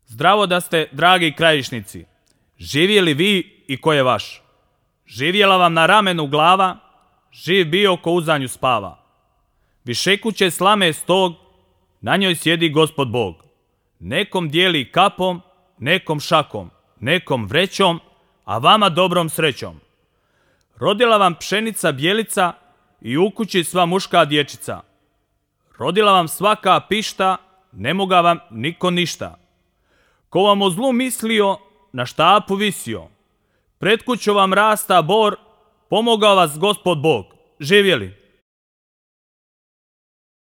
Zdravo da ste, dragi krajišnici. Živjeli vi i ko je vaš. Živjela vam na ramenu glava, živ bio ko uzanju spava. Višekuće slame stog, na njoj sjedi Gospod Bog. Nekom dijeli kapom, nekom šakom, nekom vrećom, a vama dobrom srećom. Rodila vam pšenica bijelica i u kući sva muška dječica. Rodila vam svaka pišta, ne moga vam niko ništa. Ko vam o zlu mislio, na štapu visio. Pred kućom vam rasta bor, pomogao vas Gospod Bog. Živjeli!